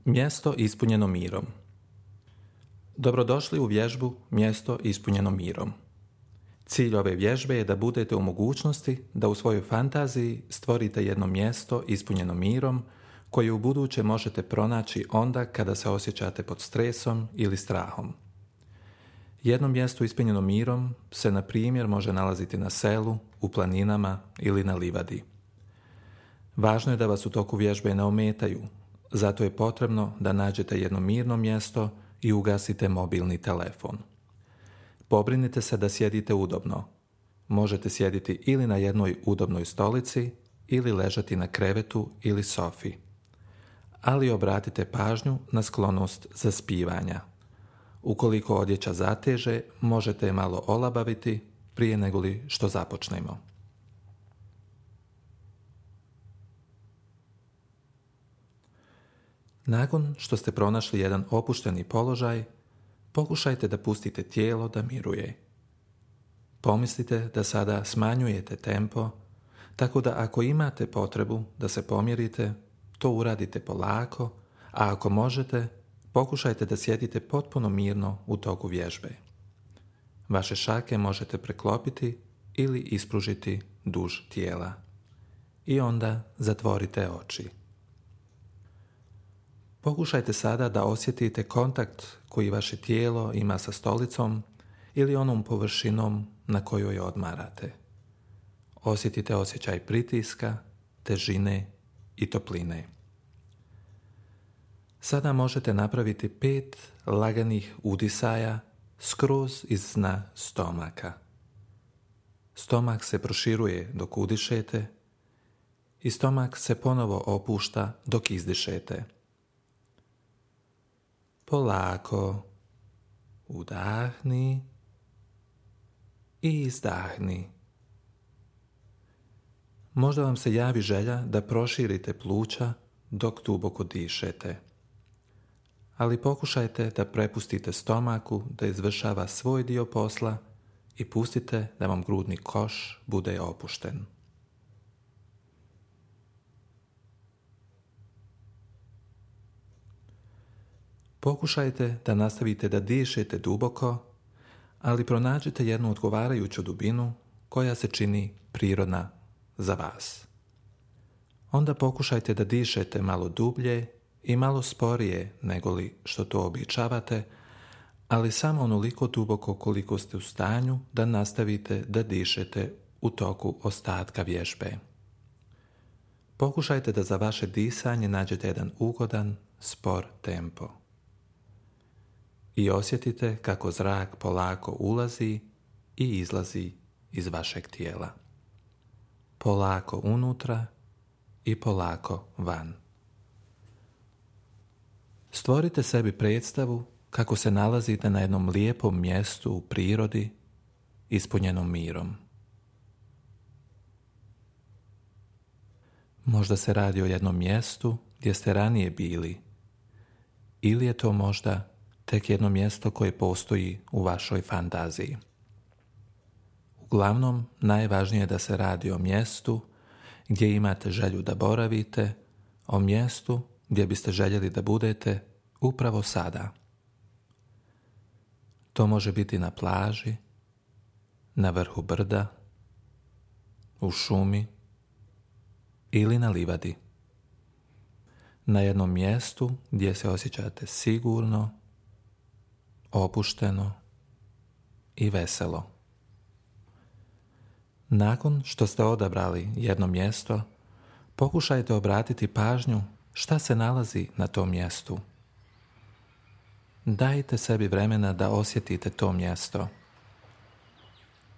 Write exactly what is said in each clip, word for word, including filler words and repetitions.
Mjesto ispunjeno mirom. Dobrodošli u vježbu Mjesto ispunjeno mirom. Cilj ove vježbe je da budete u mogućnosti da u svojoj fantaziji stvorite jedno mjesto ispunjeno mirom koje u buduće možete pronaći onda kada se osjećate pod stresom ili strahom. Jedno mjesto ispunjeno mirom se, na primjer, može nalaziti na selu, u planinama ili na livadi. Važno je da vas u toku vježbe ne ometaju, zato je potrebno da nađete jedno mirno mjesto i ugasite mobilni telefon. Pobrinite se da sjedite udobno. Možete sjediti ili na jednoj udobnoj stolici ili ležati na krevetu ili sofi. Ali obratite pažnju na sklonost zaspivanja. Ukoliko odjeća zateže, možete je malo olabaviti prije nego li što započnemo. Nakon što ste pronašli jedan opušteni položaj, pokušajte da pustite tijelo da miruje. Pomislite da sada smanjujete tempo, tako da ako imate potrebu da se pomjerite, to uradite polako, a ako možete, pokušajte da sjedite potpuno mirno u toku vježbe. Vaše šake možete preklopiti ili ispružiti duž tijela. I onda zatvorite oči. Pokušajte sada da osjetite kontakt koji vaše tijelo ima sa stolicom ili onom površinom na kojoj odmarate. Osjetite osjećaj pritiska, težine i topline. Sada možete napraviti pet laganih udisaja skroz iz dna stomaka. Stomak se proširuje dok udišete i stomak se ponovo opušta dok izdišete. Polako udahni i izdahni. Možda vam se javi želja da proširite pluća dok duboko dišete. Ali pokušajte da prepustite stomaku da izvršava svoj dio posla i pustite da vam grudni koš bude opušten. Pokušajte da nastavite da dišete duboko, ali pronađite jednu odgovarajuću dubinu koja se čini prirodna za vas. Onda pokušajte da dišete malo dublje i malo sporije nego li što to običavate, ali samo onoliko duboko koliko ste u stanju da nastavite da dišete u toku ostatka vježbe. Pokušajte da za vaše disanje nađete jedan ugodan, spor tempo. I osjetite kako zrak polako ulazi i izlazi iz vašeg tijela. Polako unutra i polako van. Stvorite sebi predstavu kako se nalazite na jednom lijepom mjestu u prirodi, ispunjenom mirom. Možda se radi o jednom mjestu gdje ste ranije bili, ili je to možda tek jedno mjesto koje postoji u vašoj fantaziji. Uglavnom, najvažnije je da se radi o mjestu gdje imate želju da boravite, o mjestu gdje biste željeli da budete upravo sada. To može biti na plaži, na vrhu brda, u šumi ili na livadi. Na jednom mjestu gdje se osjećate sigurno, opušteno i veselo. Nakon što ste odabrali jedno mjesto, pokušajte obratiti pažnju šta se nalazi na tom mjestu. Dajte sebi vremena da osjetite to mjesto.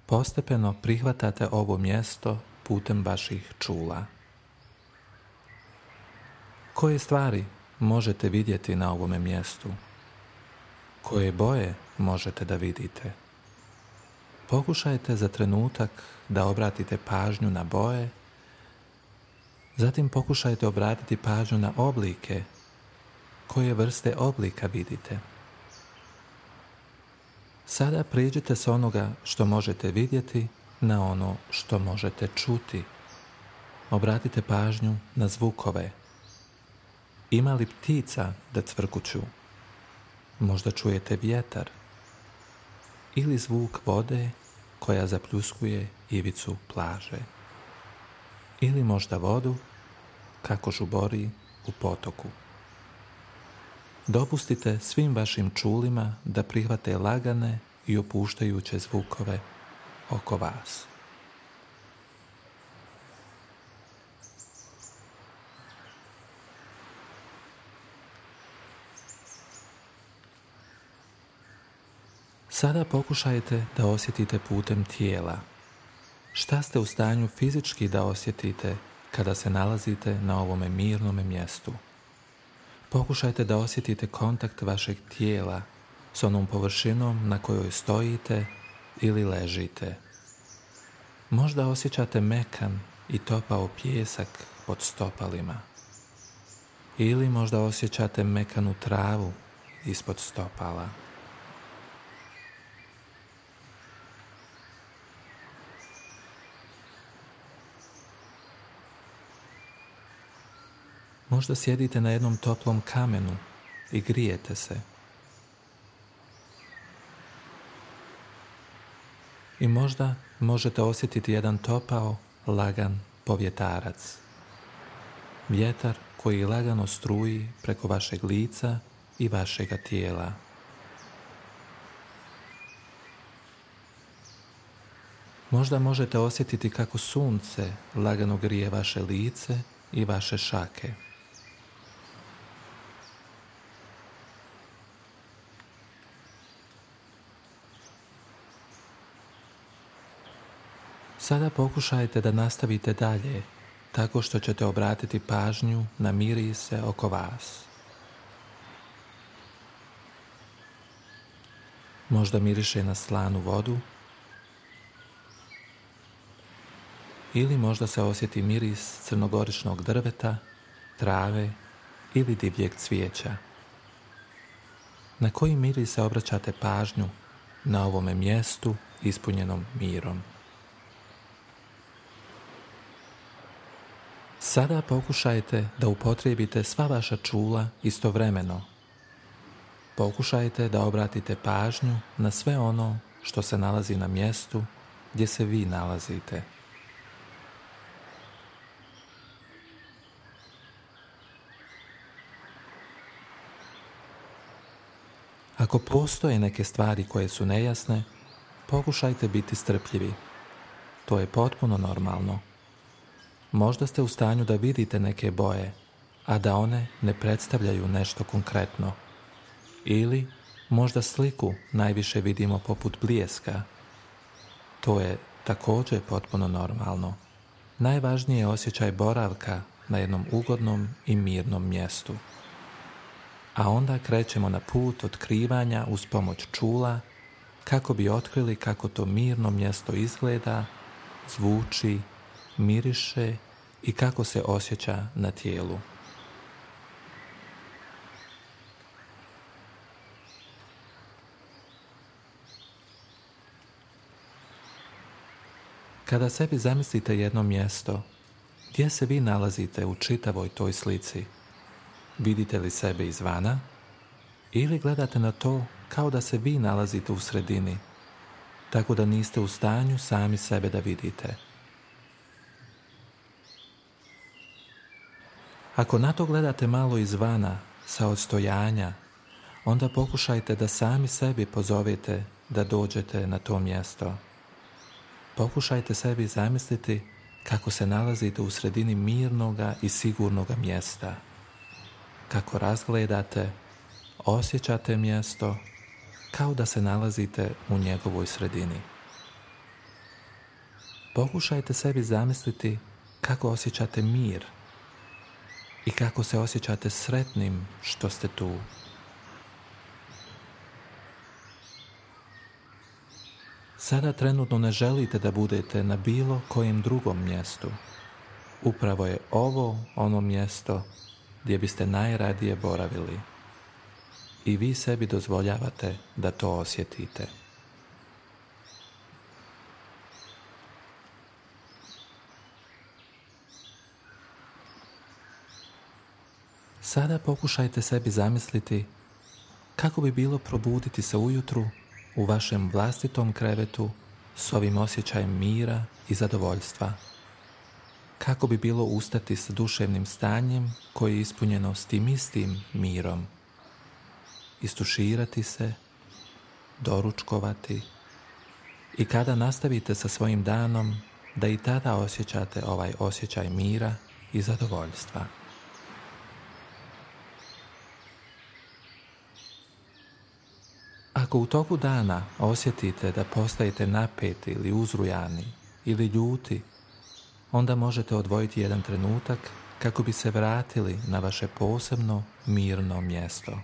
Postepeno prihvatate ovo mjesto putem vaših čula. Koje stvari možete vidjeti na ovome mjestu? Koje boje možete da vidite? Pokušajte za trenutak da obratite pažnju na boje, zatim pokušajte obratiti pažnju na oblike. Koje vrste oblika vidite? Sada prijeđite s onoga što možete vidjeti na ono što možete čuti. Obratite pažnju na zvukove. Ima li ptica da cvrkuću? Možda čujete vjetar ili zvuk vode koja zapljuskuje ivicu plaže. Ili možda vodu kako žubori u potoku. Dopustite svim vašim čulima da prihvate lagane i opuštajuće zvukove oko vas. Sada pokušajte da osjetite putem tijela. Šta ste u stanju fizički da osjetite kada se nalazite na ovome mirnome mjestu? Pokušajte da osjetite kontakt vašeg tijela s onom površinom na kojoj stojite ili ležite. Možda osjećate mekan i topao pijesak pod stopalima. Ili možda osjećate mekanu travu ispod stopala. Možda sjedite na jednom toplom kamenu i grijete se. I možda možete osjetiti jedan topao, lagan povjetarac. Vjetar koji lagano struji preko vašeg lica i vašega tijela. Možda možete osjetiti kako sunce lagano grije vaše lice i vaše šake. Sada pokušajte da nastavite dalje, tako što ćete obratiti pažnju na mirise oko vas. Možda miriše na slanu vodu, ili možda se osjeti miris crnogoričnog drveta, trave ili divljeg cvijeća. Na koji miris se obraćate pažnju na ovome mjestu ispunjenom mirom? Sada pokušajte da upotrijebite sva vaša čula istovremeno. Pokušajte da obratite pažnju na sve ono što se nalazi na mjestu gdje se vi nalazite. Ako postoje neke stvari koje su nejasne, pokušajte biti strpljivi. To je potpuno normalno. Možda ste u stanju da vidite neke boje, a da one ne predstavljaju nešto konkretno. Ili možda sliku najviše vidimo poput bljeska. To je također potpuno normalno. Najvažniji je osjećaj boravka na jednom ugodnom i mirnom mjestu. A onda krećemo na put otkrivanja uz pomoć čula kako bi otkrili kako to mirno mjesto izgleda, zvuči, miriše i kako se osjeća na tijelu. Kada sebi zamislite jedno mjesto, gdje se vi nalazite u čitavoj toj slici, vidite li sebe izvana ili gledate na to kao da se vi nalazite u sredini, tako da niste u stanju sami sebe da vidite? Ako na to gledate malo izvana, sa odstojanja, onda pokušajte da sami sebi pozovete da dođete na to mjesto. Pokušajte sebi zamisliti kako se nalazite u sredini mirnoga i sigurnoga mjesta. Kako razgledate, osjećate mjesto kao da se nalazite u njegovoj sredini. Pokušajte sebi zamisliti kako osjećate mir i kako se osjećate sretnim što ste tu. Sada trenutno ne želite da budete na bilo kojem drugom mjestu. Upravo je ovo ono mjesto gdje biste najradije boravili. I vi sebi dozvoljavate da to osjetite. Sada pokušajte sebi zamisliti kako bi bilo probuditi se ujutru u vašem vlastitom krevetu s ovim osjećajem mira i zadovoljstva. Kako bi bilo ustati s duševnim stanjem koje je ispunjeno s tim istim mirom. Istuširati se, doručkovati i kada nastavite sa svojim danom da i tada osjećate ovaj osjećaj mira i zadovoljstva. Ako u toku dana osjetite da postajete napeti ili uzrujani ili ljuti, onda možete odvojiti jedan trenutak kako bi se vratili na vaše posebno mirno mjesto.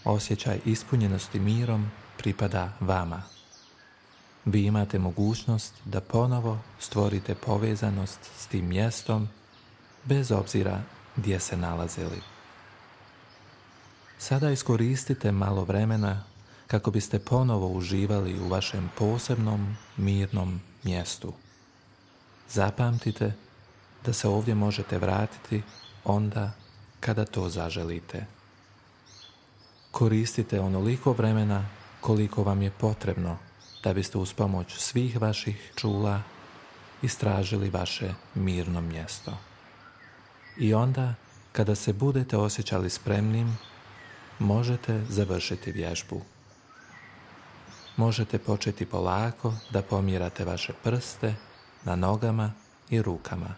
Osjećaj ispunjenosti mirom pripada vama. Vi imate mogućnost da ponovo stvorite povezanost s tim mjestom bez obzira gdje se nalazili. Sada iskoristite malo vremena kako biste ponovo uživali u vašem posebnom mirnom mjestu. Zapamtite da se ovdje možete vratiti onda kada to zaželite. Koristite onoliko vremena koliko vam je potrebno da biste uz pomoć svih vaših čula istražili vaše mirno mjesto. I onda, kada se budete osjećali spremnim, možete završiti vježbu. Možete početi polako da pomjerate vaše prste na nogama i rukama.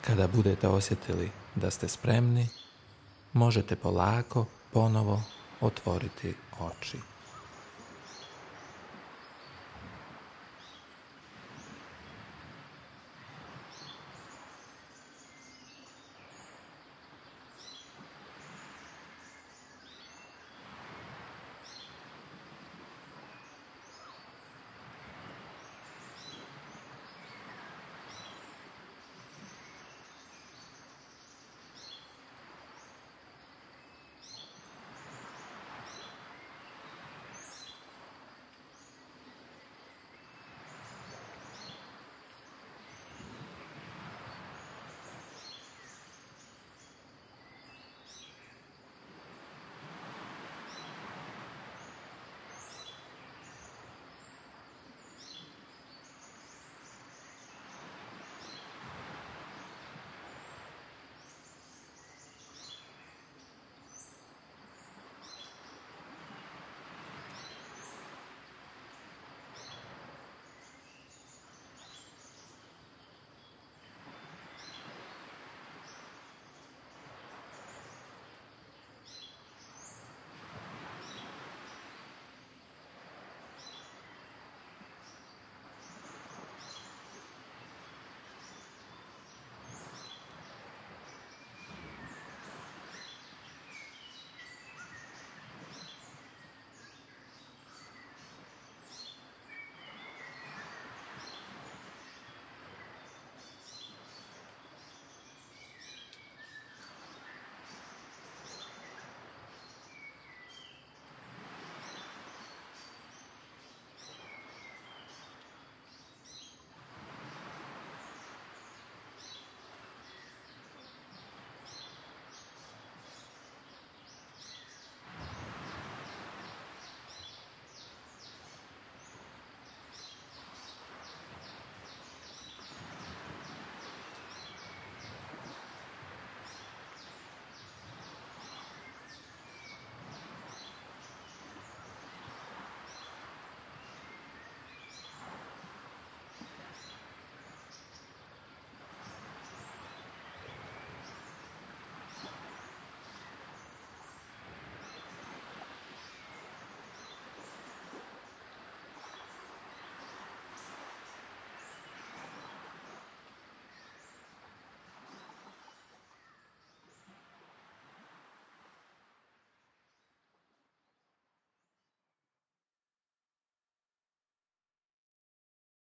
Kada budete osjetili da ste spremni, možete polako ponovo otvoriti oči.